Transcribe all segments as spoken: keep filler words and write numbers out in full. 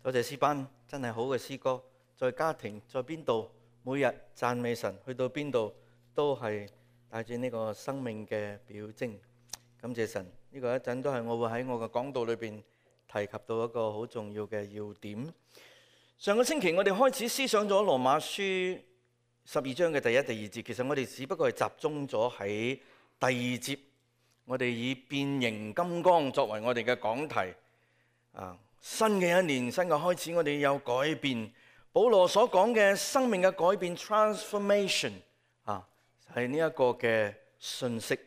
多謝詩班，真係好嘅詩歌，在家庭，在邊度，每日讚美神，去到邊度都係帶住呢個生命嘅表徵。感謝神，呢個一陣都係我會喺我嘅講道裏邊提及到一個好重要嘅要點。上個星期我哋開始思想咗羅馬書十二章嘅第一、第二節，其實我哋只不過係集中咗喺第二節，我哋以變形金剛作為我哋嘅講題啊。新嘅一年，新嘅開始，我哋有改變。保羅所講嘅生命嘅改變 transformation 啊，係呢一個嘅信息。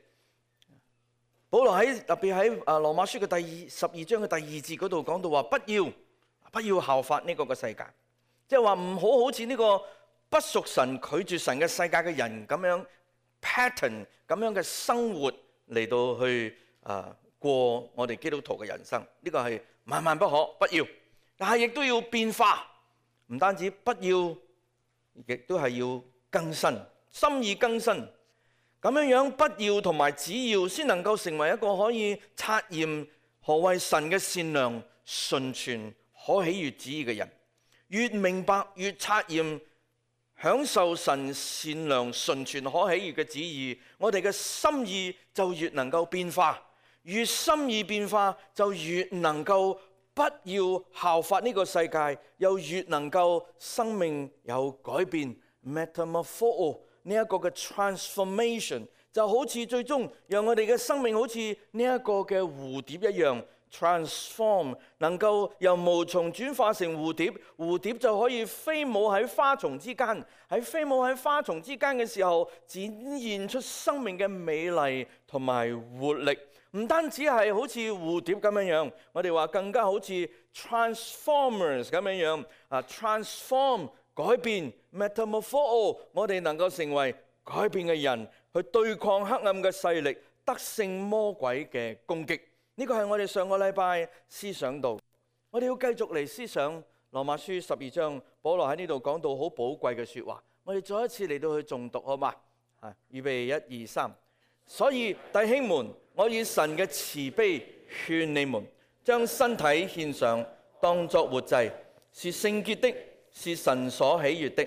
保羅喺特別喺啊羅馬書嘅第二十二章嘅第二節嗰度講到話，不要不要效法呢個嘅世界，即係話唔好好似呢個不屬神、拒絕神嘅世界嘅人咁樣 pattern 咁樣嘅生活嚟到去啊過我哋基督徒嘅人生。呢個係萬萬不可，不要，但係亦都要變化，唔單止不要，亦都係要更新，心意更新，咁樣樣不要同埋只要，先能夠成為一個可以察驗何謂神嘅善良、純全、可喜悅旨意嘅人。越明白越察驗，享受神善良、純全、可喜悅嘅旨意，我哋嘅心意就越能夠變化。越心意變化，就越能夠不要效法呢個世界，又越能夠生命有改變 metamorpho 呢一個嘅 transformation， 就好似最終讓我哋嘅生命好似呢一個嘅蝴蝶一樣 transform， 能夠由毛蟲轉化成蝴蝶，蝴蝶就可以飛舞喺花叢之間，喺飛舞喺花叢之間嘅時候，展現出生命嘅美麗同埋活力。唔單止係好似蝴蝶咁樣樣，我哋話更加好似 transformers 咁樣樣啊 transform 改變 metamorpho， 我哋能夠成為改變嘅人，去對抗黑暗嘅勢力，得勝魔鬼嘅攻擊。呢個係我哋上個禮拜思想到，我哋要繼續嚟思想羅馬書十二章，保羅喺呢度講到好寶貴嘅說話，我哋再一次嚟到去誦讀好嘛？啊，預備一二三。所以弟兄們，我以神嘅慈悲勸你們，將身體獻上，當作活祭，是聖潔的，是神所喜悅的。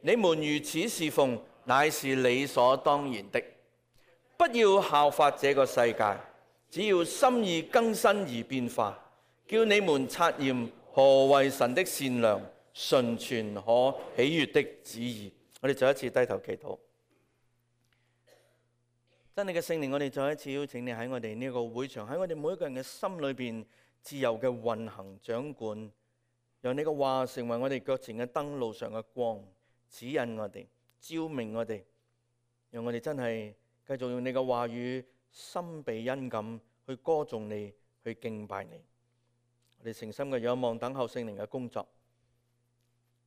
你們如此侍奉，乃是理所當然的。不要效法這個世界，只要心意更新而變化，叫你們察驗何為神的善良、純全、可喜悅的旨意。我哋再一次低頭祈禱。真理嘅聖靈，我哋再一次邀請你喺我哋呢個會場，喺我哋每一個人嘅心裏邊自由嘅運行掌管，讓你嘅話成為我哋腳前嘅燈，路上嘅光，指引我哋，照明我哋，讓我哋真係繼續用你嘅話語心備恩感去歌頌你，去敬拜你。我哋誠心嘅仰望等候聖靈嘅工作，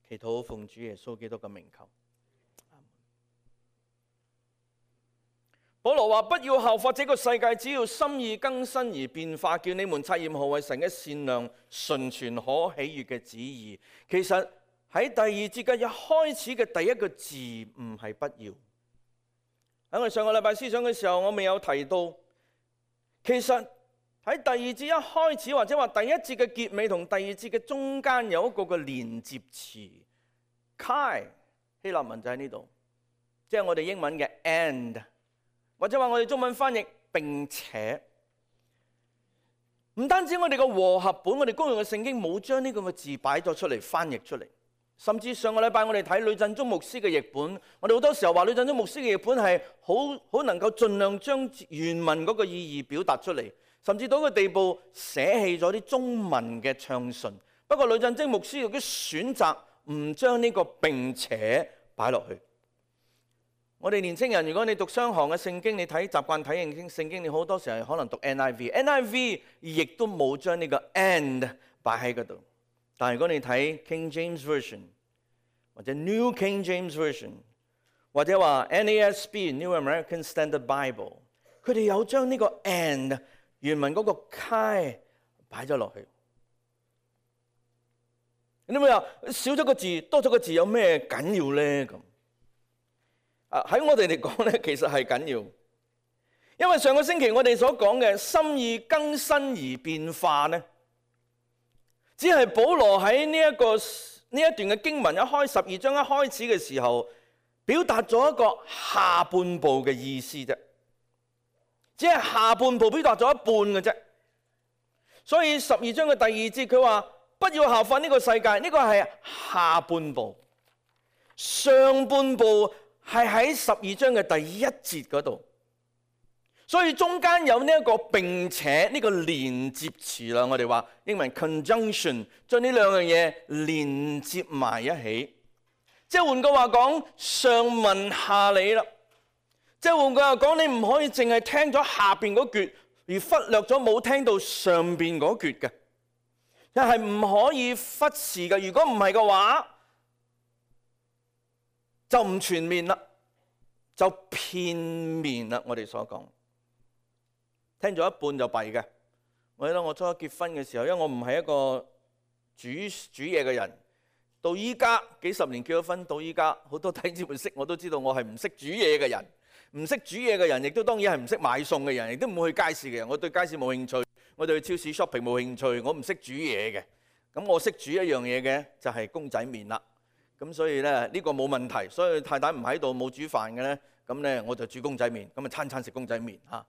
祈禱奉主耶穌基督嘅名求。保羅話：不要效法這個世界，只要心意更新而變化，叫你們察驗何為神嘅善良、純全、可喜悅嘅旨意。其實喺第二節嘅一開始嘅第一個字唔係不要。喺我哋上個禮拜思想嘅時候，我未有提到，其實喺第二節一開始或者話第一節嘅結尾同第二節嘅中間有一個嘅連接詞 kai， 希臘文就喺呢度，即係我哋英文嘅 and。或者話我哋中文翻譯並且，唔單止我哋個和合本，我哋公用嘅聖經冇將呢個嘅字擺咗出嚟翻譯出嚟，甚至上個禮拜我哋睇呂振中牧師嘅譯本，我哋好多時候話呂振中牧師嘅譯本係好好能夠盡量將原文嗰個意義表達出嚟，甚至到個地步捨棄咗啲中文嘅暢順。不過呂振中牧師有啲選擇唔將呢個並且擺落去。我哋年青人，如果你讀雙行嘅聖經，你睇習慣睇聖經，你好多時候可能讀 N I V，N I V 亦都冇將呢個 and 擺喺嗰度。但係如果你睇 King James Version 或者 New King James Version 或者話 N A S B New American Standard Bible， 佢哋有將呢個 and 原文嗰個 kai 擺咗落去。你會話少咗個字，多咗個字有咩緊要咧？咁喺我哋嚟講咧，其實係緊要，因為上個星期我哋所講嘅心意更新而變化咧，只係保羅喺呢一個呢一段嘅經文一開十二章一開始嘅時候，表達咗一個下半部嘅意思啫，只係下半部表達咗一半嘅啫。所以十二章嘅第二節佢話不要效法呢個世界，呢個係下半部。上半部係喺十二章嘅第一節嗰度，所以中間有呢一個並且呢個連接詞啦。我哋話英文 conjunction， 將呢兩樣嘢連接埋一起。即係換句話講，上文下理啦。即係換句話講，你唔可以淨係聽咗下邊嗰橛，而忽略咗冇聽到上邊嗰橛嘅，又係唔可以忽視嘅。如果唔係嘅話，就唔全面啦，就片面啦。我哋所講，聽咗一半就弊嘅。我記得我初初結婚嘅時候，因為我唔係一個煮煮嘢嘅人，到依家幾十年結咗婚，到依家好多弟兄姊妹識我都知道我係唔識煮嘢嘅人。唔識煮嘢嘅人，亦都當然係唔識買餸嘅人，亦都唔會去街市嘅人。我對街市冇興趣，我對超市 shopping 冇興趣，我唔識煮嘢嘅。咁我識煮一樣嘢嘅就係公仔麵啦。咁所以咧呢個冇問題。所以太太唔喺度冇煮飯嘅咧，咁咧我就煮公仔麵，咁啊餐餐食公仔麵嚇。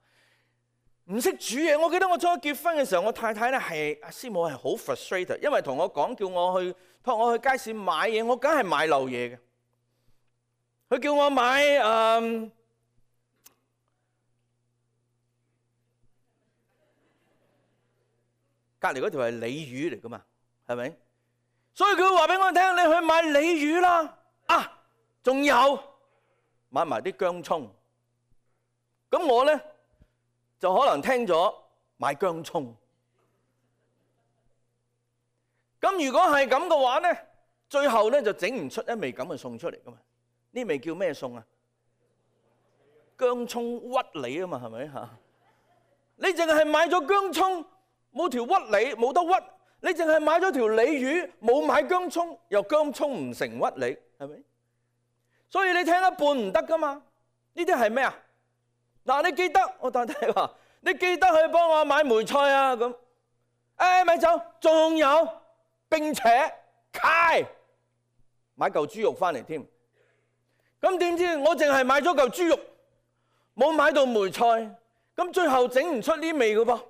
唔識煮嘢，我記得我初結婚嘅時候，我太太咧係阿師母係好 frustrated， 因為同我講叫我去託我去街市買嘢，我梗係買漏嘢嘅。佢叫我買誒。嗯隔離嗰條係鯉魚嚟噶嘛，係咪？所以佢會話俾我聽，你去買鯉魚啦。啊，仲有買埋啲薑葱。咁我咧就可能聽咗買薑葱。咁如果係咁嘅話咧，最後咧就整唔出一味咁嘅餸出嚟噶嘛。呢味叫咩餸啊？薑葱屈梨啊嘛，係咪嚇？你淨係買咗薑葱。冇條屈梨冇得屈，你淨係買咗條鯉魚，冇買薑葱，又薑葱唔成屈梨，係咪？所以你聽一半唔得噶嘛？呢啲係咩啊？嗱，你記得我太太話，你記得去幫我買梅菜啊咁。誒咪走，仲有並且揩買嚿豬肉翻嚟添。咁點知我淨係買咗嚿豬肉，冇買到梅菜，咁最後整唔出呢味噶噃。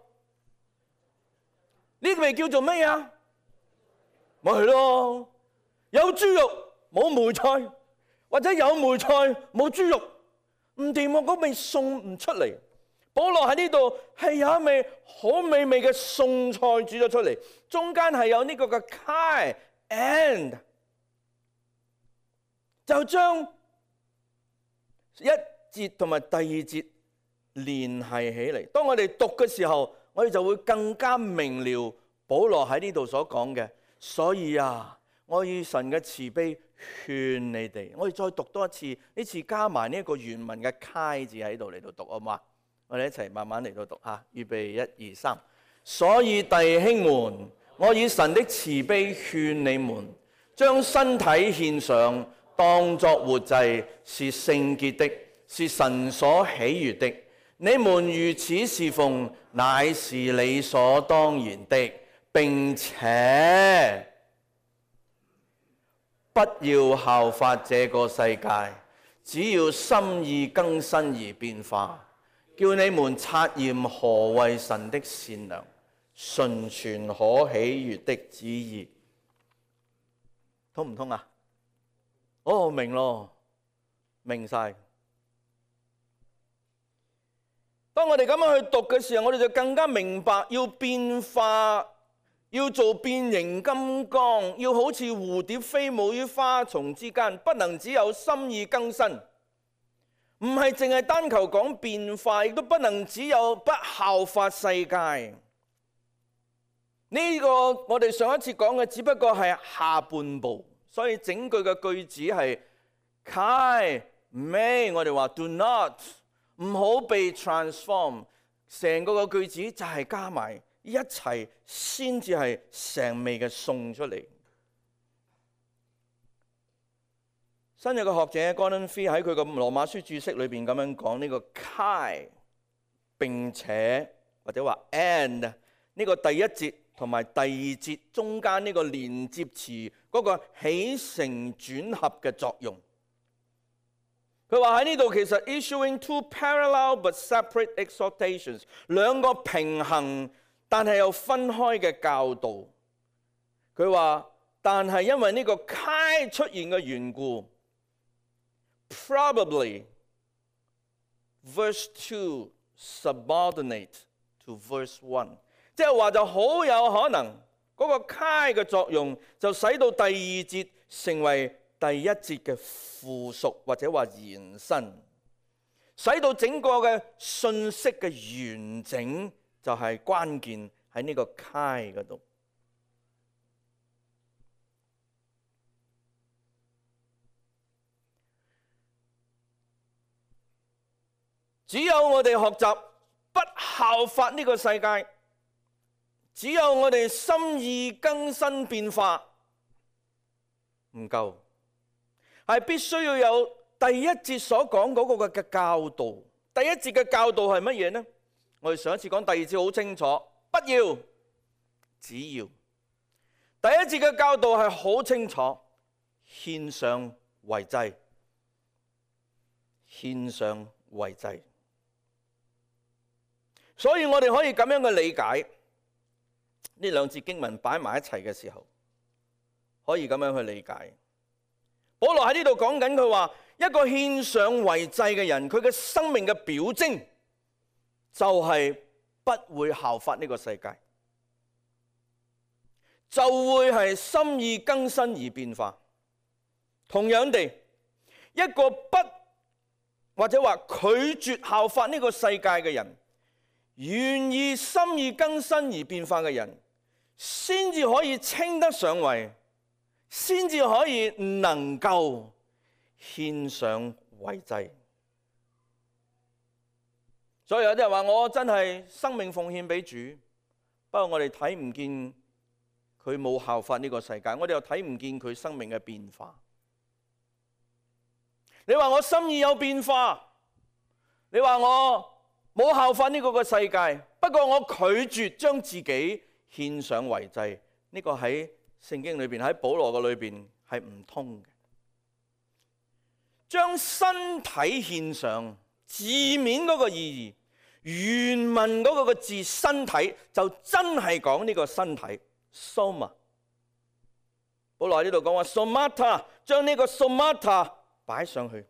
呢味叫做咩啊？咪係咯，有豬肉冇梅菜，或者有梅菜冇豬肉，唔掂喎，嗰味餸唔出嚟。保羅喺呢度係有一味好美味嘅餸菜煮咗出嚟，中間係有呢個嘅 kai and， 就將一節同埋第二節聯繫起嚟。當我哋讀嘅時候，我哋就會更加明了保羅喺呢度所講嘅。所以啊，我以神嘅慈悲勸你哋，我哋再讀多一次，呢次加埋呢一個原文嘅揩字喺度嚟到讀，好嘛？我哋一齊慢慢嚟到讀吓，預備一二三。所以弟兄們，我以神的慈悲勸你們，將身體獻上，當作活祭，是聖潔的，是神所喜悅的。你們如此侍奉，乃是理所當然的，並且不要效法這個世界，只要心意更新而變化，叫你們察驗何為神的善良、純全、可喜悅的旨意。通唔通啊？哦，明咯，明晒。當我哋咁樣去讀嘅時候，我哋就更加明白要變化，要做變形金剛，要好似蝴蝶飛舞於花叢之間，不能只有心意更新，唔係淨係單求講變化，亦都不能只有不效法世界。呢個我哋上一次講嘅只不過係下半部，所以整句嘅句子係 kai may， 我哋話 do not。唔好被 transform， 成個個句子就係加埋一齊先至係成味嘅餸出嚟。新約嘅學者 Gordon Fee 喺佢嘅羅馬書注釋裏邊咁樣講呢個 kai 並且或者話 and 呢個第一節同埋第二節中間呢個連接詞嗰個起承轉合嘅作用。佢話喺呢度其實 issuing two parallel but separate exhortations， 兩個平衡但係又分開嘅教導。佢話但係因為呢個 kai 出現嘅緣故 ，probably verse two subordinate to verse one， 即係話就好有可能嗰個 kai 嘅作用就使到第二節成為第一節嘅附屬或者話延伸，使到整個嘅信息嘅完整就係關鍵喺呢個 kai 嗰度。只有我哋學習不效法呢個世界，只有我哋心意更新變化唔夠，係必須要有第一節所講嗰個嘅教導。第一節嘅教導係乜嘢呢？我哋上一次講第二節好清楚，不要，只要。第一節嘅教導係好清楚，獻上為祭，獻上為祭。所以我哋可以咁樣嘅理解，呢兩節經文擺埋一齊嘅時候，可以咁樣去理解。保羅喺呢度講緊佢話，一個獻上為祭嘅人，佢嘅生命嘅表徵就係不會效法呢個世界，就會係心意更新而變化。同樣地，一個不或者話拒絕效法呢個世界嘅人，願意心意更新而變化嘅人，先至可以稱得上為，先至可以能夠獻上為祭。所以有啲人話我真係生命奉獻俾主，不過我哋睇唔見佢冇效法呢個世界，我哋又睇唔見佢生命嘅變化。你話我心意有變化，你話我冇效法呢個個世界，不過我拒絕將自己獻上為祭，呢個喺聖經裏邊，喺保羅嘅裏邊係唔通嘅。將身體獻上，字面嗰個意義，原文嗰個個字身體就真係講呢個身體 soma。保羅喺呢度講話 somata， 將呢個 somata 擺上去。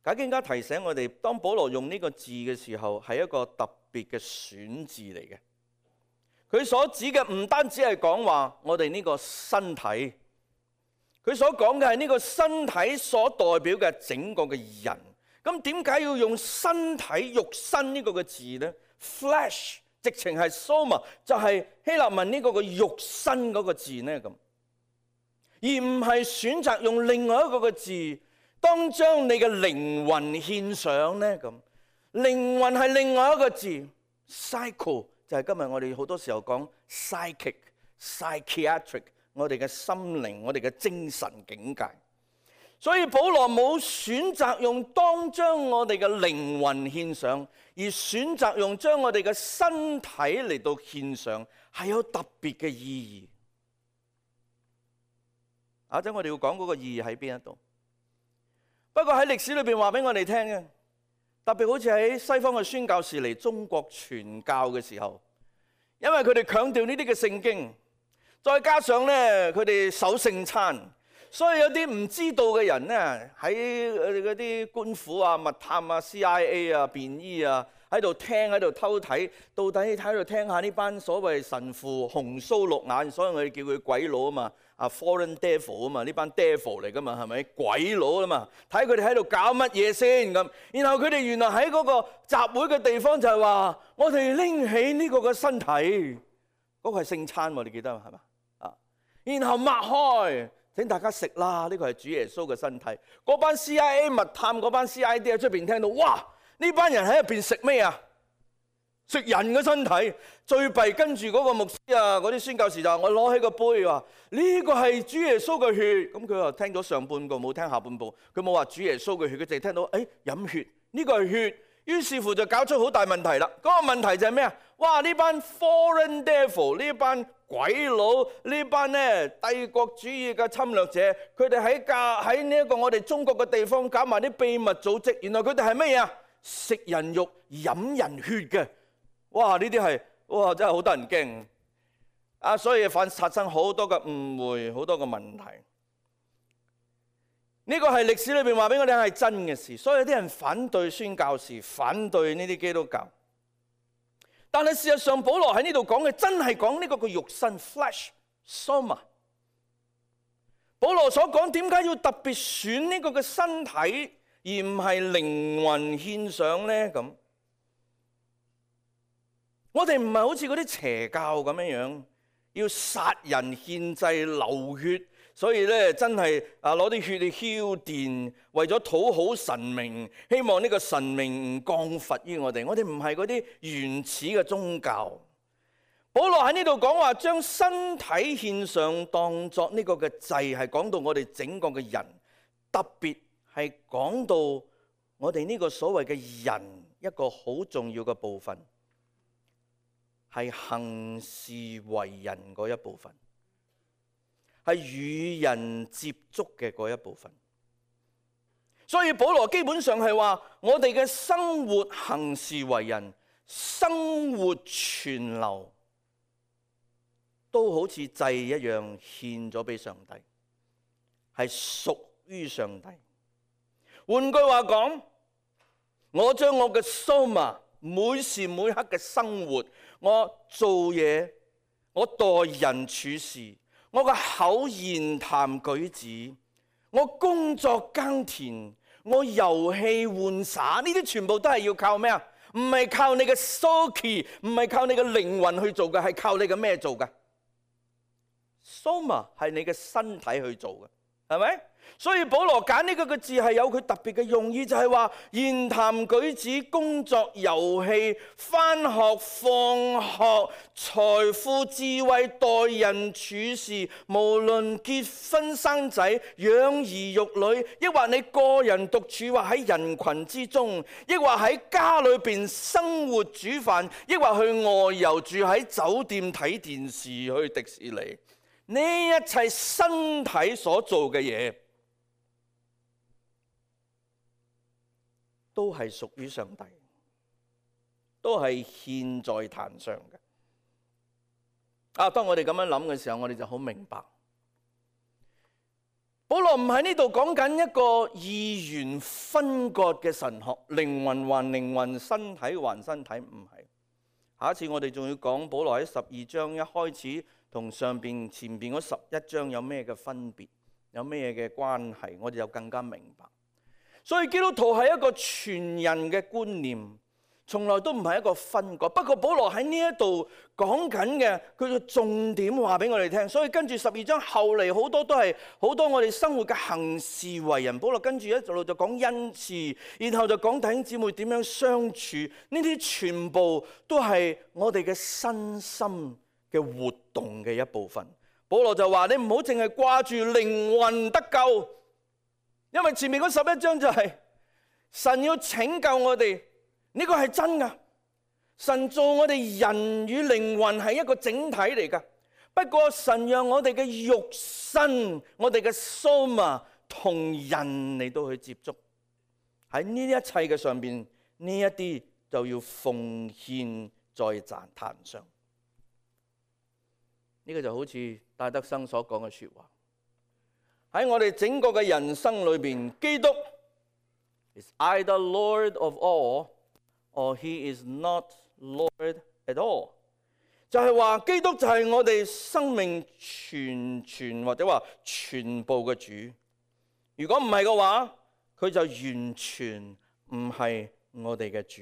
解經家提醒我哋，當保羅用呢個字嘅時候，係一個特別嘅選字嚟嘅。佢所指嘅唔單止係講話我哋呢個身體，佢所講嘅係呢個身體所代表嘅整個嘅人。咁點解要用身體肉身呢個嘅字呢？ Flesh 直情係 soma， 就係希臘文呢個嘅肉身嗰個字呢，咁，而唔係選擇用另外一個嘅字。當將你嘅靈魂獻上呢，咁靈魂係另外一個字 psycho， 就係今日我哋好多時候講 psychic、psychiatric， 我哋嘅心靈、我哋嘅精神境界。所以保羅冇選擇用當將我哋嘅靈魂獻上，而選擇用將我哋嘅身體嚟到獻上，係有特別嘅意義。一陣我哋要講嗰個意義喺邊一度。不過喺歷史裏邊話俾我哋聽嘅，特別好似喺西方嘅宣教士嚟中國傳教嘅時候，因為佢哋強調呢啲嘅聖經，再加上咧佢哋守聖餐，所以有啲唔知道嘅人咧喺嗰啲官府啊、密探啊、C I A 啊、便衣啊喺度聽，喺度偷睇，到底喺度聽下呢班所謂神父紅鬚綠眼，所以我哋叫佢鬼佬啊嘛。啊 ，foreign devil 啊嘛，呢班 devil 嚟噶嘛，係咪鬼佬啊嘛？睇佢哋喺度搞乜嘢先咁。然後佢哋原來喺嗰個集會嘅地方就係話，我哋拎起呢個嘅身體，嗰、嗰個係聖餐喎，你記得係嘛？啊，然後擘開，請大家食啦，呢個係主耶穌嘅身體。嗰班 C I A 密探嗰班 C I D 喺出邊聽到，哇！呢班人喺入邊食咩啊？食人嘅身體。最弊跟住嗰個牧師啊，嗰啲宣教士就話：我攞起個杯話呢個係主耶穌嘅血。咁佢又聽咗上半部，冇聽下半部。佢冇話主耶穌嘅血，佢淨係聽到誒飲血，呢個係血。於是乎就搞出好大問題啦。嗰個問題就係咩啊？哇！呢班 foreign devil， 呢班鬼佬，呢班咧帝國主義嘅侵略者，佢哋喺教喺呢一個我哋中國嘅地方搞埋啲秘密組織，原來佢哋係乜嘢啊？食人肉、飲人血嘅。哇！呢啲係哇真係好得人驚啊！所以反發生好多嘅誤會，好多嘅問題。呢個係歷史裏邊話俾我哋係真嘅事，所以有啲人反對宣教士，反對呢啲基督教。但係事實上，保羅喺呢度講嘅真係講呢個個肉身 flesh soma。保羅所講點解要特別選呢個嘅身體，而唔係靈魂獻上呢？咁我哋唔係好似嗰啲邪教咁樣樣，要殺人獻祭流血。所以咧，真係啊攞啲血去澆奠，為咗討好神明，希望呢個神明唔降罰於我哋。我哋唔係嗰啲原始嘅宗教。保羅喺呢度講話，將身體獻上當作呢個嘅祭，係講到我哋整個嘅人，特別係講到我哋呢個所謂嘅人一個好重要嘅部分，係行事為人嗰一部分。係與人接觸嘅嗰一部分，所以保羅基本上係話，我哋嘅生活行事為人、生活存留，都好似祭一樣獻咗俾上帝，係屬於上帝。換句話講，我將我嘅 soma 每時每刻嘅生活，我做嘢，我待人處事，我嘅口言談舉止，我工作耕田，我遊戲玩耍，呢啲全部都係要靠咩啊？唔係靠你嘅 soul， 唔係靠你嘅靈魂去做嘅，係靠你嘅咩做嘅？ soma 係你嘅身體去做嘅，係咪？所以保羅揀呢個個字係有佢特別嘅用意，就係話言談舉止、工作、遊戲、返學、放學、財富、智慧、待人處事，無論結婚生仔、養兒育女，抑或你個人獨處，或喺人群之中，抑或喺家裏邊生活煮飯，抑或去外遊住喺酒店睇電視、去迪士尼，呢一切身體所做嘅嘢，都係屬於上帝，都係獻在壇上嘅。啊，當我哋咁樣諗嘅時候，我哋就好明白，保羅唔喺呢度講緊一個二元分割嘅神學，靈魂還靈魂，身體還身體，唔係。下一次我哋仲要講保羅喺十二章一開始同上邊前邊嗰十一章有咩嘅分別，有咩嘅關係，我哋就更加明白。所以基督徒係一個全人嘅觀念，從來都唔係一個分割。不過保羅喺呢一度講緊嘅，佢嘅重點話俾我哋聽。所以跟住十二章後嚟好多都係好多我哋生活嘅行事為人。保羅跟住一路就講恩賜，然後就講弟兄姊妹點樣相處。呢啲全部都係我哋嘅身心嘅活動嘅一部分。保羅就話：你唔好淨係掛住靈魂得救。因為前面嗰十一章就係神要拯救我哋，呢個係真噶。神做我哋人與靈魂係一個整體嚟噶。不過神讓我哋嘅肉身，我哋嘅 soma 同人嚟到去接觸，喺呢一切嘅上邊，呢一啲就要奉獻在壇上。呢個就好似戴德生所講嘅說話。喺我哋整個嘅人生裏邊，基督 is either Lord of all or he is not Lord at all。就係話基督就係我哋生命全全或者話全部嘅主。如果唔係嘅話，佢就完全唔係我哋嘅主。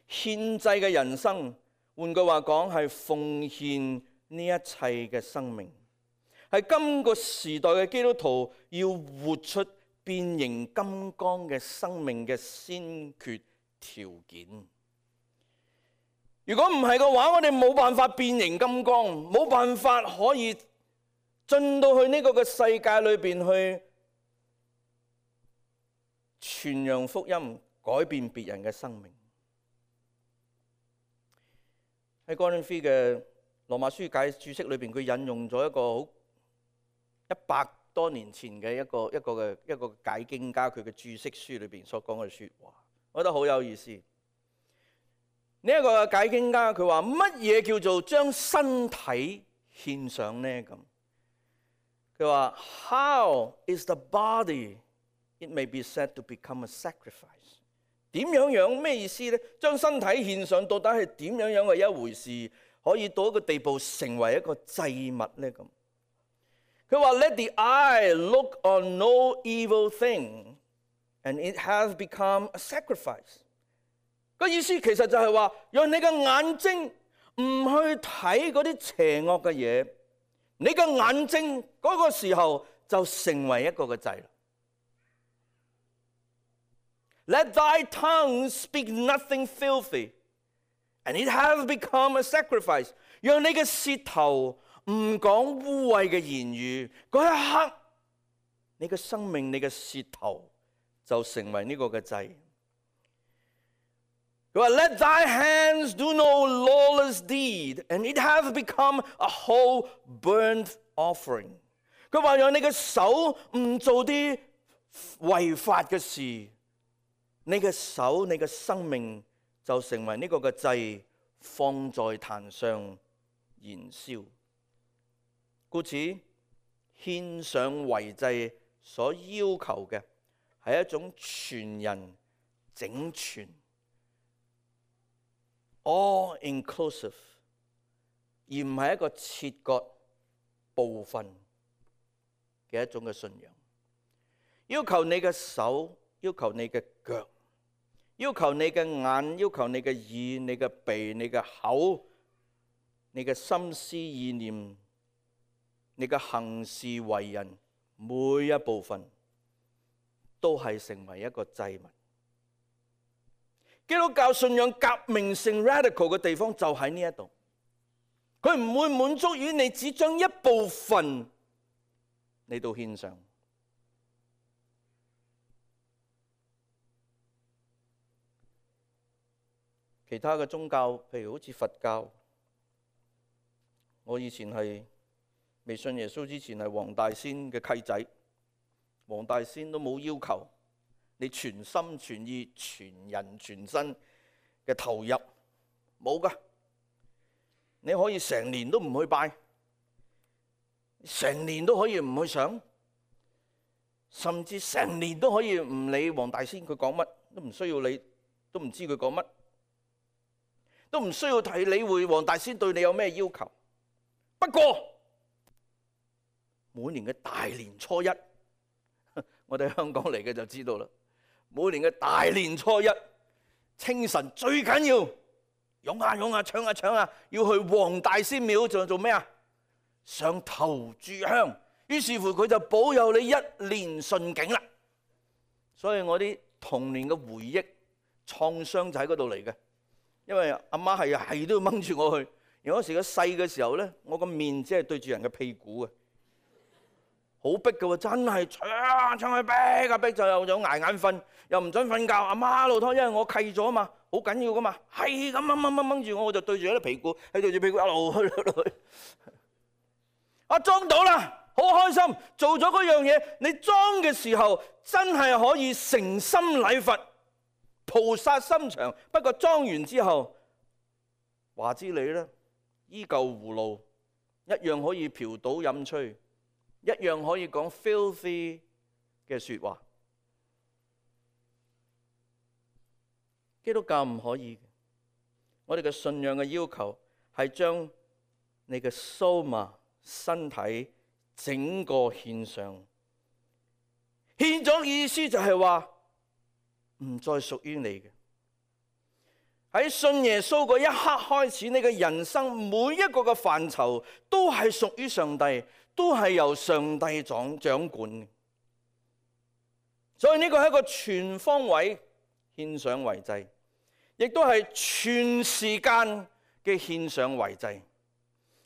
獻祭嘅人生，換句話講係奉獻呢一切嘅生命。係今個時代嘅基督徒要活出變形金剛嘅生命嘅先決條件。如果唔係嘅話，我哋冇辦法變形金剛，冇辦法可以進到去呢個嘅世界裏邊去傳揚福音，改變別人嘅生命。喺哥林飛嘅羅馬書解註釋裏邊，佢引用咗一個好一百多年前嘅一個一個嘅一個解經家佢嘅註釋書裏邊所講嘅説話，我覺得好有意思。呢一個解經家佢話乜嘢叫做將身體獻上呢？咁佢話 How is the body it may be said to become a sacrifice？ 點樣樣咩意思呢？將身體獻上到底係點樣樣嘅一回事，可以到一個地步成為一個祭物呢？咁佢話 Let the eye look on no evil thing, and it has become a sacrifice。個意思其實就係話，讓你嘅眼睛唔去睇嗰啲邪惡嘅嘢，你嘅眼睛嗰個時候就成為一個嘅祭。Let thy tongue speak nothing filthy, and it has become a sacrifice。讓你嘅舌頭唔講污穢嘅言語，嗰一刻，你嘅生命、你嘅舌頭就成為呢個嘅祭。佢話 Let thy hands do no lawless deed, and it has become a whole burnt offering。佢話讓你嘅手唔做啲違法嘅事，你嘅手、你嘅生命就成為呢個嘅祭，放在壇上燃燒。故此，獻上為祭所要求嘅係一種全人整全。all inclusive， 而唔係一個切割部分嘅一種嘅信仰。要求你嘅手，要求你嘅腳，要求你嘅眼，要求你嘅耳、你嘅鼻、你嘅口、你嘅心思意念、你嘅行事為人，每一部分都係成為一個祭物。基督教信仰革命性 radical 嘅地方就喺呢一度，佢唔會滿足於你只將一部分嚟到獻上。其他嘅宗教，譬如好似佛教，我以前係未信耶穌之前係黃大仙嘅契仔，黃大仙都冇要求你全心全意、全人全身嘅投入，冇噶。你可以成年都唔去拜，成年都可以唔去上，甚至成年都可以唔理黃大仙佢講乜，都唔需要你，都唔知佢講乜，都唔需要睇理會黃大仙對你有咩要求。不過每年嘅大年初一，我哋香港嚟嘅就知道啦。每年嘅大年初一清晨最緊要湧下湧下搶下搶下，要去黃大仙廟做做咩啊？上頭炷香，於是乎佢就保佑你一年順境啦。所以我啲童年嘅回憶創傷就喺嗰度嚟嘅，因為阿媽係係都要掹住我去。而嗰時個細嘅時候咧，我個面只係對住人嘅屁股啊，好逼嘅喎，真係搶啊搶去逼啊逼，就又有捱眼瞓，又唔准瞓覺。阿媽老拖，因為我契咗啊嘛，好緊要噶嘛，係咁掹掹掹掹住我，我就對住啲屁股，係對住屁股一路去一路去。啊裝到啦，好開心，做咗嗰樣嘢。你裝嘅時候真係可以誠心禮佛，菩薩心腸。不過裝完之後，話之你啦，依舊葫蘆，一樣可以嫖賭飲吹，一樣可以講 filthy 嘅説話。基督教唔可以，我哋嘅信仰嘅要求係將你嘅 soma 身體整個獻上。獻咗意思就係話唔再屬於你嘅。喺信耶穌嗰一刻開始，你嘅人生每一個嘅範疇都係屬於上帝，都係由上帝掌掌管嘅。所以呢個係一個全方位獻上為祭，亦都係全時間嘅獻上為祭。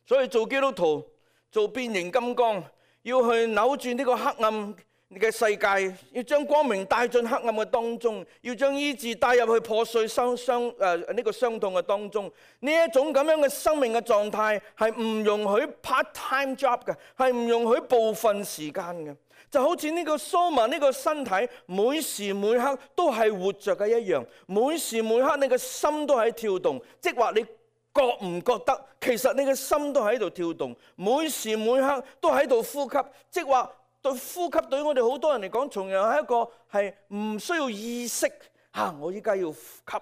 所以做基督徒，做變形金剛，要去扭轉呢個黑暗嘅世界，要將光明帶進黑暗嘅當中，要將醫治帶入去破碎傷傷誒呢個傷痛嘅當中。呢一種咁樣嘅生命嘅狀態係唔容許 part-time job 嘅，係唔容許部分時間嘅。就好似呢個 Soma 呢個身體，每時每刻都係活着嘅一樣，每時每刻你嘅心都喺跳動，即係話你覺唔覺得其實你嘅心都喺度跳動，每時每刻都喺度呼吸，即係話。對呼吸對於我哋好多人嚟講，同樣係一個係唔需要意識嚇、啊。我依家要呼吸，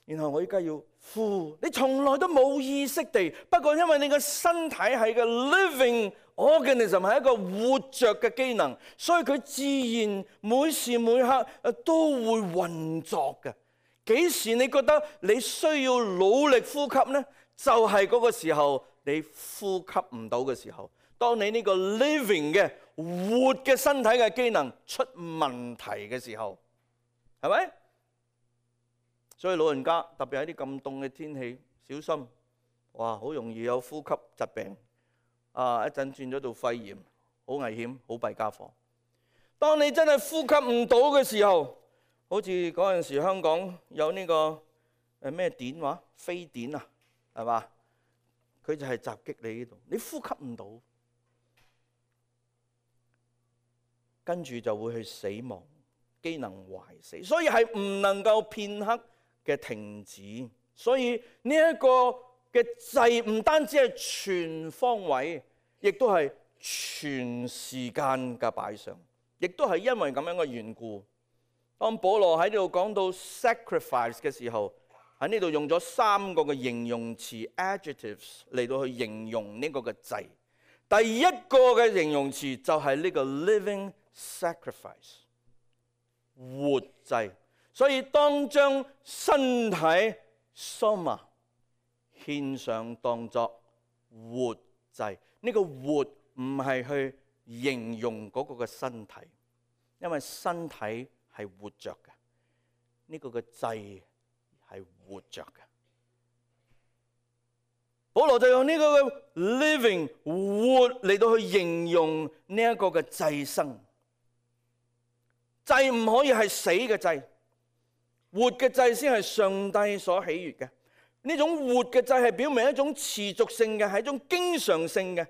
然後我依家要呼。你從來都冇意識地，不過因為你個身體係個 living organism，係一個活着嘅機能，所以佢自然每時每刻都會運作嘅。幾時你覺得你需要努力呼吸呢？就係、是、嗰個時候你呼吸唔到嘅時候。當你呢個 living 嘅活嘅身體嘅機能出問題嘅時候，係咪？所以老人家特別喺啲咁凍嘅天氣，小心，哇，好容易有呼吸疾病，啊，一陣轉咗做肺炎，好危險，好弊家伙。當你真係呼吸唔到嘅時候，好似嗰陣時香港有呢個誒咩碘話，非典啊，係嘛？佢就係襲擊你呢度，你呼吸唔到。跟住就會去死亡，機能壞死，所以係唔能夠片刻嘅停止。所以呢一個嘅掣唔單止係全方位，亦都係全時間嘅擺上，亦都係因為咁樣嘅緣故。當保羅喺呢度講到 sacrifice 嘅時候，喺呢度用咗三個嘅形容詞 adjectives 嚟到去形容呢個嘅掣。第一個嘅形容詞就係呢個 living sacrifice 活祭，所以當將身體 soma 獻上當作活祭，呢個活唔係去形容嗰個嘅身體，因為身體係活着嘅，呢個嘅祭係活着嘅。保羅就用呢個嘅 living 活嚟到去形容呢一個嘅祭牲。祭唔可以係死嘅祭，活嘅祭先係上帝所喜悅嘅。呢種活嘅祭係表明一種持續性嘅，係一種經常性嘅，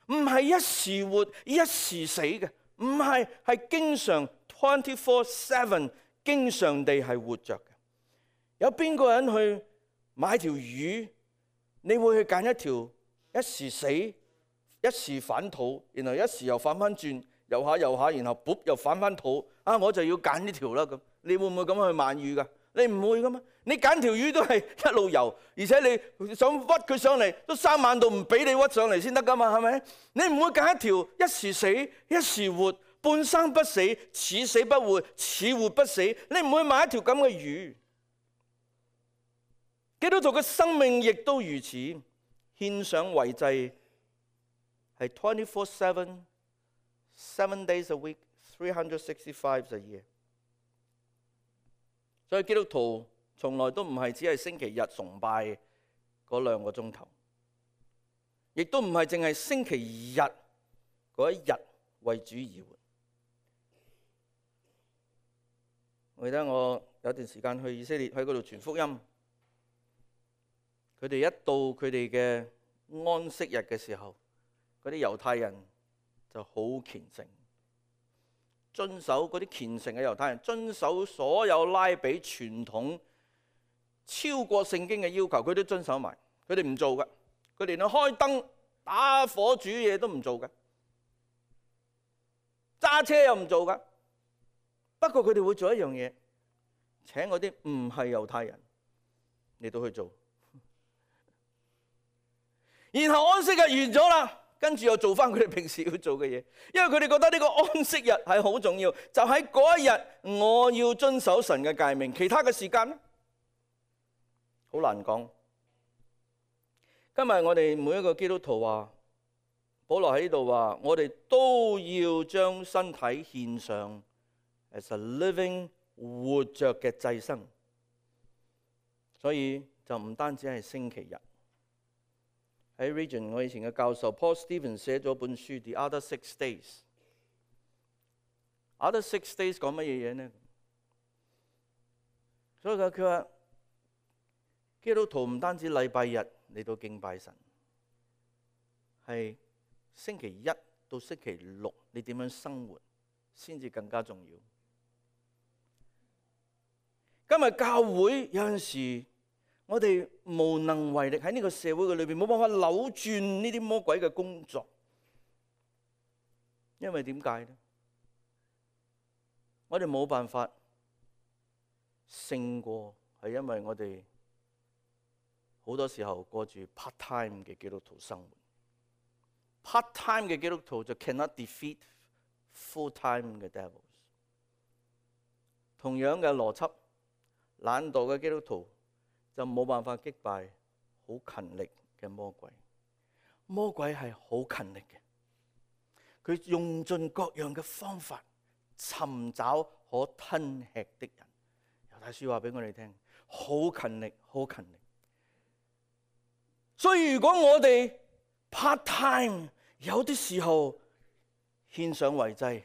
唔係一時活一時死嘅，唔係，係經常 twenty-four seven 經常地係活着嘅。有邊個人去買條魚，你會去揀一條一時死一時反肚，然後一時又反翻轉，游下游下，然後噗又反翻肚，啊我就要揀呢條啦咁。你會唔會咁樣去買魚噶？你唔會噶嘛？你揀條魚都係一路游，而且你想屈佢上嚟都三萬度唔俾你屈上嚟先得噶嘛？係咪？你唔會揀一條一時死一時活，半生不死，似死不活，似活不死。你唔會買一條咁嘅魚。基督徒嘅生命亦都如此，獻上為祭係 twenty-four seven。Seven days a week, three hundred sixty-five a year。所以基督徒從來都唔係只係星期日崇拜嗰兩個鐘頭，亦都唔係淨係星期日嗰一日為主而活。我記得我有段時間去以色列，喺嗰度傳福音，佢哋一到佢哋嘅安息日嘅時候，嗰啲猶太人就好虔誠，遵守嗰啲虔誠嘅猶太人，遵守所有拉比傳統超過聖經嘅要求，佢都遵守埋。佢哋唔做嘅，佢哋連開燈、打火煮嘢都唔做嘅，揸車又唔做嘅。不過佢哋會做一樣嘢，請嗰啲唔係猶太人嚟到去做，然後安息日完咗啦。跟住又做翻佢哋平時要做嘅嘢，因為佢哋覺得呢個安息日係好重要，就喺嗰一日我要遵守神嘅誡命，其他嘅時間咧好難講。今日我哋每一個基督徒話，保羅喺呢度話，我哋都要將身體獻上 as a living 活着嘅祭牲，所以就唔單止係星期日。喺 Region 我以前嘅教授 Paul Stevens 寫咗本書《The Other Six Days》， Other six days 講乜嘢嘢呢？所以佢佢話基督徒唔單止禮拜日嚟到敬拜神，係星期一到星期六你點樣生活先至更加重要。今日教會有陣時，我哋無能為力喺呢個社會嘅裏邊，冇辦法扭轉呢啲魔鬼嘅工作。因為點解呢？我哋冇辦法勝過，係因為我哋好多時候過住 part time 嘅基督徒生活。part time 嘅基督徒就 cannot defeat full time 嘅 devils。同樣嘅邏輯，懶惰嘅基督徒就冇辦法擊敗好勤力嘅魔鬼。魔鬼係好勤力嘅，佢用盡各樣嘅方法尋找可吞吃的人。猶太書話俾我哋聽，好勤力，好勤力。所以如果我哋 part time， 有啲時候獻上為祭，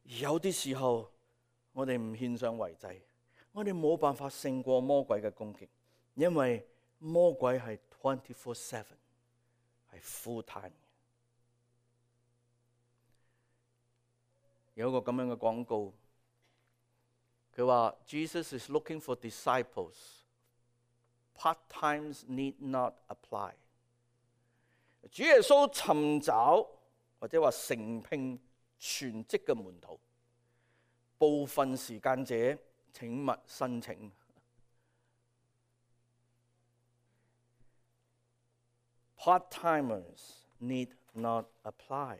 有啲時候我哋唔獻上為祭，我哋冇辦法勝過魔鬼嘅攻擊，因為魔鬼係 twenty four seven， 係 full time。有一個咁樣嘅廣告，佢話 Jesus is looking for disciples。Part times need not apply。主耶穌尋找或者話承聘全職嘅門徒，部分時間者請勿申請。Part timers need not apply。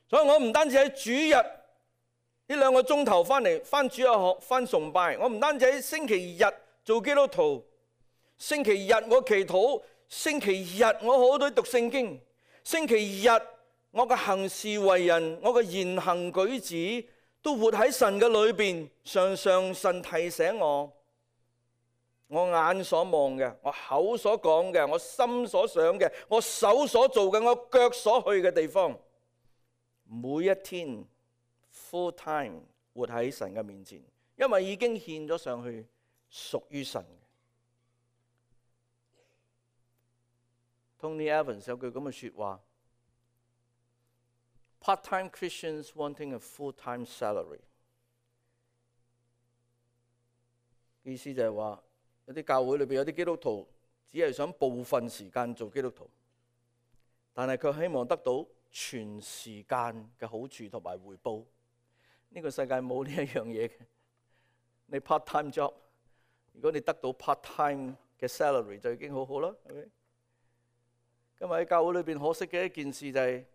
所以我唔單止喺主日呢兩個鐘頭翻嚟翻主日學翻崇拜，我唔單止喺星期日做基督徒，星期日我祈禱，星期日我好多讀聖經，星期日我嘅行事為人，我嘅言行舉止都活喺神嘅裏邊。常常神提醒我，我眼所望嘅，我口所講嘅，我心所想嘅，我手所做嘅，我腳所去嘅地方，每一天 full time 活喺神嘅面前，因為已經獻咗上去，屬於神嘅。Tony Evans 有句咁嘅說話 ：Part-time Christians wanting a full-time salary。意思就係話，有啲教會裏邊有啲基督徒只係想部分時間做基督徒，但係佢希望得到全時間嘅好處同埋回報。呢個世界冇呢一樣嘢嘅。你 part-time job， 如果你得到 part-time 嘅 salary 就已經好好啦，係咪？今日喺教會裏邊可惜嘅一件事就係，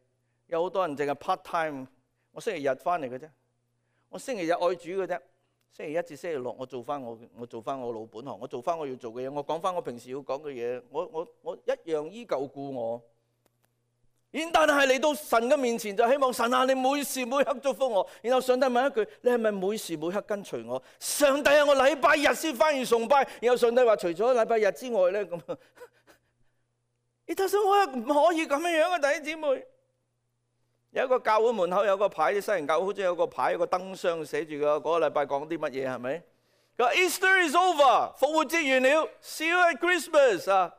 有好多人淨係 part-time。我星期日翻嚟嘅啫，我星期日愛主嘅啫，星期一至星期六我做翻我我做翻我老本行，我做翻我要做嘅嘢，我講翻我平時要講嘅嘢，我我我一樣依舊顧我。然但係嚟到神嘅面前就希望神啊，你每時每刻祝福我。然後上帝問一句：你係咪每時每刻跟隨我？上帝啊，我禮拜日先翻完崇拜。然後上帝話：除咗禮拜日之外咧，咁你睇下我唔可以咁樣樣啊，弟兄姊妹。有一個教會門口有個牌，啲西人教會好似有個牌，有個燈箱寫住個嗰個禮拜講啲乜嘢，係咪？佢話 Easter is over， 復活節完了 ，See you at Christmas 啊！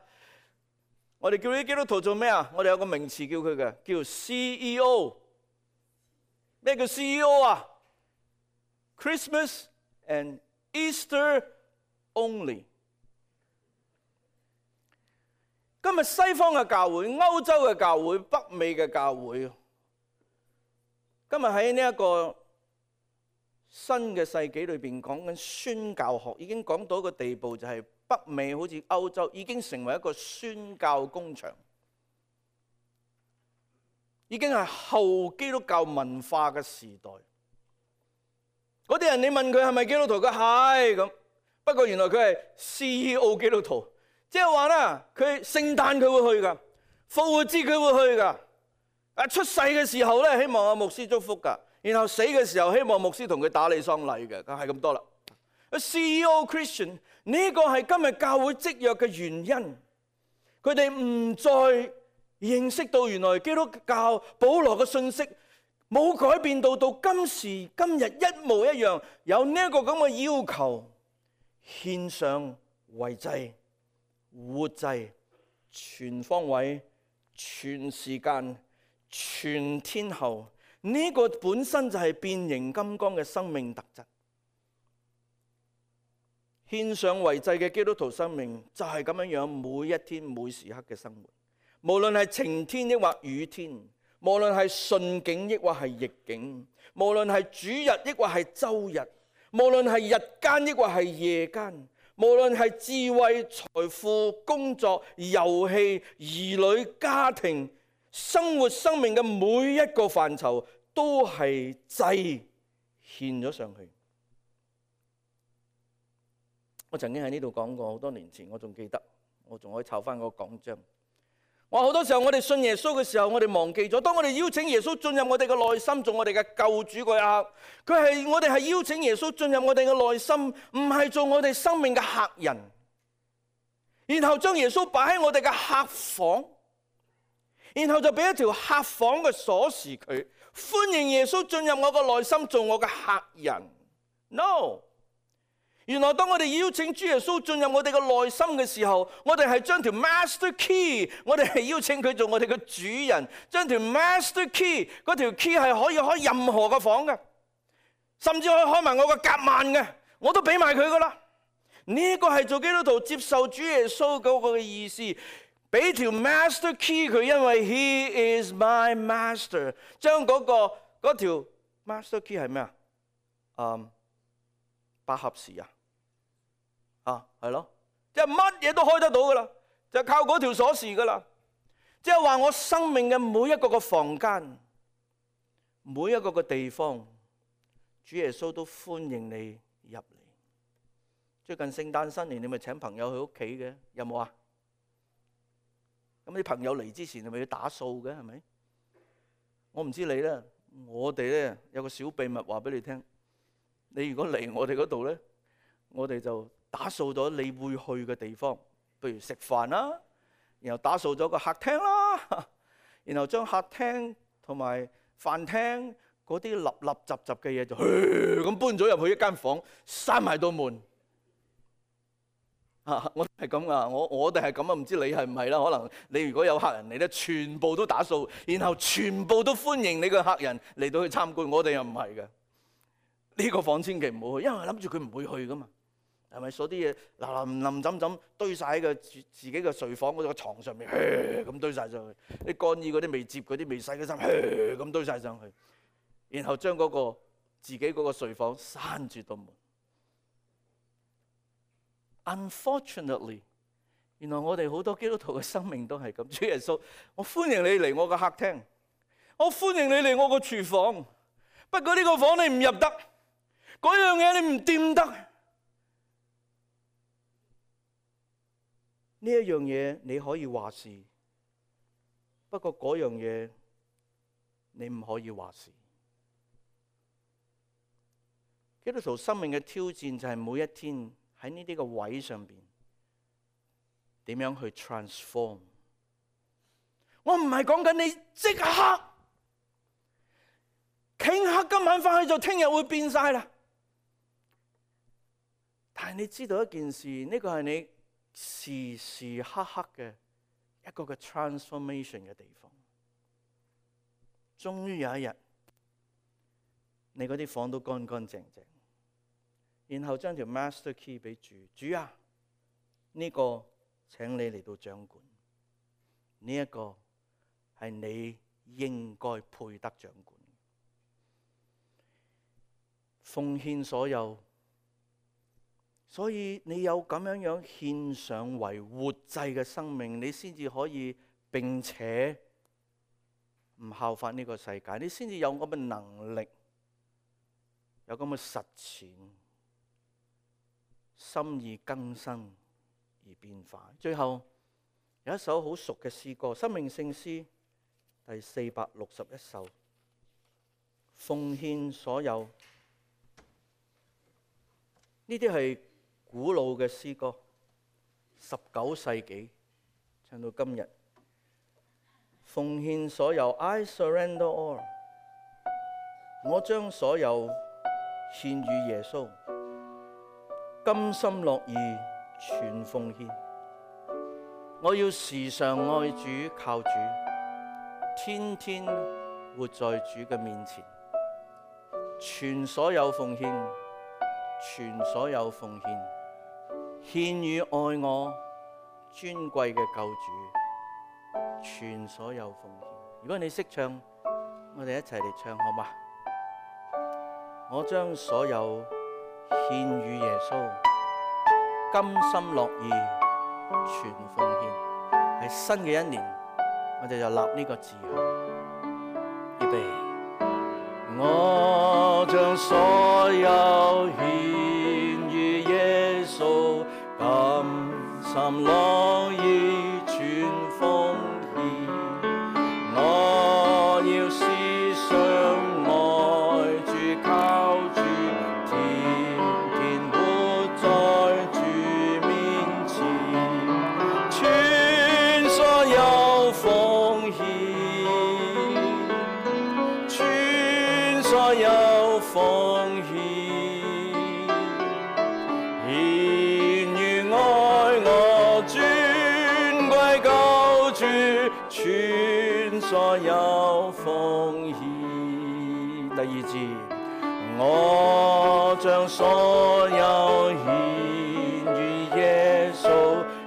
我哋叫啲基督徒做咩啊？我哋有個名詞叫佢嘅，叫 C E O。咩叫 C E O 啊 ？Christmas and Easter only。今日西方嘅教會、歐洲嘅教會、北美嘅教會，今日喺呢一個新嘅世紀裏邊講緊宣教學，已經講到一個地步，就係北美好似歐洲已經成為一個宣教工場，已經係後基督教文化嘅時代。嗰啲人你問佢係咪基督徒，佢係咁，不過原來佢係 C E O 基督徒，即係話咧，佢聖誕佢會去噶，復活節佢會去噶，啊出世嘅時候咧希望阿牧師祝福噶，然後死嘅時候希望牧師同佢打理喪禮嘅，係咁多啦。C E O Christian 呢個係今日教會積弱嘅原因，佢哋唔再認識到原來基督教保羅嘅信息冇改變到到今時今日一模一樣，有呢一個咁嘅要求，獻上為祭、活祭、全方位、全時間、全天候，呢個本身就係變形金剛嘅生命特質。獻上為祭嘅基督徒生命就係咁樣樣，每一天每時刻嘅生活，無論係晴天抑或雨天，無論係順境抑或係逆境，無論係主日抑或係周日，無論係日間抑或係夜間，無論係智慧、財富、工作、遊戲、兒女、家庭、生活、生命嘅每一個範疇，都係祭獻咗上去。我曾經喺呢度講過，好多年前我仲記得，我仲可以抄翻個講章。我好多時候我哋信耶穌嘅時候，我哋忘記咗，當我哋邀請耶穌進入我哋嘅內心，做我哋嘅救主嗰一刻，佢係我哋係邀請耶穌進入我哋嘅內心，唔係做我哋生命嘅客人，然後將耶穌擺喺我哋嘅客房，然後就俾一條客房嘅鎖匙佢，歡迎耶穌進入我嘅內心，做我嘅客人。No。原來當我哋邀請主耶穌進入我哋嘅內心嘅時候，我哋係將條 master key， 我哋係邀請佢做我哋嘅主人，將條 master key， 嗰條 key 係可以開任何嘅房嘅，甚至可以開埋我個夾萬嘅，我都俾埋佢噶啦。呢個係做基督徒接受主耶穌嗰個嘅意思，俾條 master key 佢，因為 he is my master。將嗰個嗰條 master key 係咩啊？嗯，百合匙啊？啊，係咯，即係乜嘢都開得到噶啦，就靠嗰條鎖匙噶啦。即係話我生命嘅每一個個房間，每一個個地方，主耶穌都歡迎你入嚟。最近聖誕新年，你咪請朋友去屋企嘅，有冇啊？咁啲朋友嚟之前，係咪要打掃嘅？係咪？我唔知你咧，我哋咧有個小秘密話俾你聽。你如果嚟我哋嗰度咧，我哋就打掃咗你會去嘅地方，譬如食飯啦，然後打掃咗個客廳啦，然後將客廳同埋飯廳嗰啲立立雜雜嘅嘢就咁搬咗入去一間房，閂埋道門。啊，我係咁噶，我我哋係咁啊，唔知你係唔係啦？可能你如果有客人嚟咧，全部都打掃，然後全部都歡迎你個客人嚟到去參觀。我哋又唔係嘅，呢個房千祈唔好去，因為諗住佢唔會去噶嘛。係咪？所啲嘢嗱淋淋浸浸堆晒喺個自己嘅睡房嗰個牀上面，咁堆晒上去。啲乾衣嗰啲未摺嗰啲未洗嘅衫，咁堆晒上去。然後將嗰個自己嗰個睡房閂住道門。Unfortunately， 原來我哋好多基督徒嘅生命都係咁。主耶穌，我歡迎你嚟我個客廳，我歡迎你嚟我個廚房。不過呢個房你唔入得，嗰樣嘢你唔掂得。呢一樣嘢你可以話事，不過嗰樣嘢你唔可以話事。基督徒生命嘅挑戰就係每一天喺呢啲個位上邊點樣去 transform。我唔係講緊你即刻頃刻今晚翻去就聽日會變晒啦。但係你知道一件事，呢個係你時時刻刻嘅一個嘅 transformation 嘅地方。終於有一日，你嗰啲房都乾乾淨淨，然後將條 master key 俾主，主啊，呢個請你嚟到掌管，呢一個係你應該配得掌管，奉獻所有。所以你有咁樣樣獻上為活祭嘅生命，你先至可以並且唔效法呢個世界，你先至有咁嘅能力，有咁嘅實踐，心意更新而變化。最後有一首好熟嘅詩歌，《生命聖詩》第四百六十一首，奉獻所有。呢啲係古老嘅詩歌，十九世紀唱到今日，奉獻所有 ，I surrender all。我將所有獻與耶穌，甘心樂意全奉獻。我要時常愛主靠主，天天活在主嘅面前，全所有奉獻，全所有奉獻，獻與愛我尊貴嘅救主，全所有奉獻。如果你識唱，我哋一齊嚟唱好嗎？我將所有獻與耶穌，甘心樂意全奉獻。喺新嘅一年，我哋就立呢個志向。預備，我將所有獻與耶穌，甘心樂意全奉獻。我要時常愛主靠主，天天活在主面前，全所有奉獻，全所有奉獻，獻與愛我尊貴救主，全所有奉獻。第二節，我將所有獻與耶穌，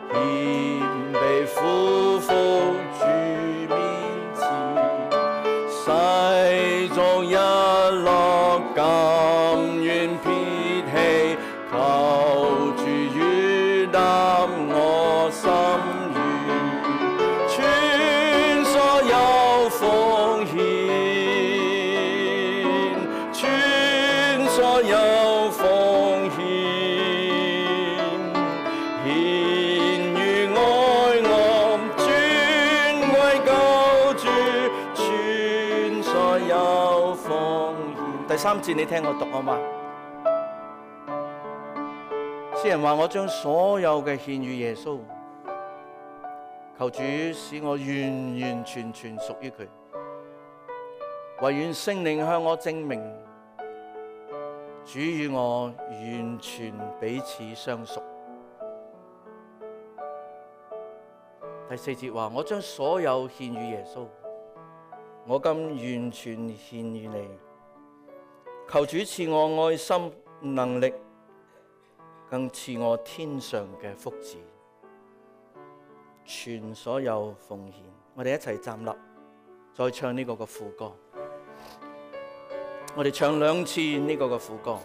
獻被俯伏主面前，世俗一樂甘願撇棄，求主悅納我心願，全所有奉獻，全所有奉獻，獻與愛我尊貴救主，全所有奉獻。第三節你聽我讀好嗎？詩人話：我將所有嘅獻與耶穌，求主使我完完全全屬於佢。唯願聖靈向我證明，主與我完全彼此相屬。第四節話：我將所有獻與耶穌，我今完全獻與你。求主賜我愛心能力，更賜我天上嘅福祉，全所有奉獻。我哋一齊站立，再唱呢個嘅副歌。我哋唱兩次呢個嘅副歌。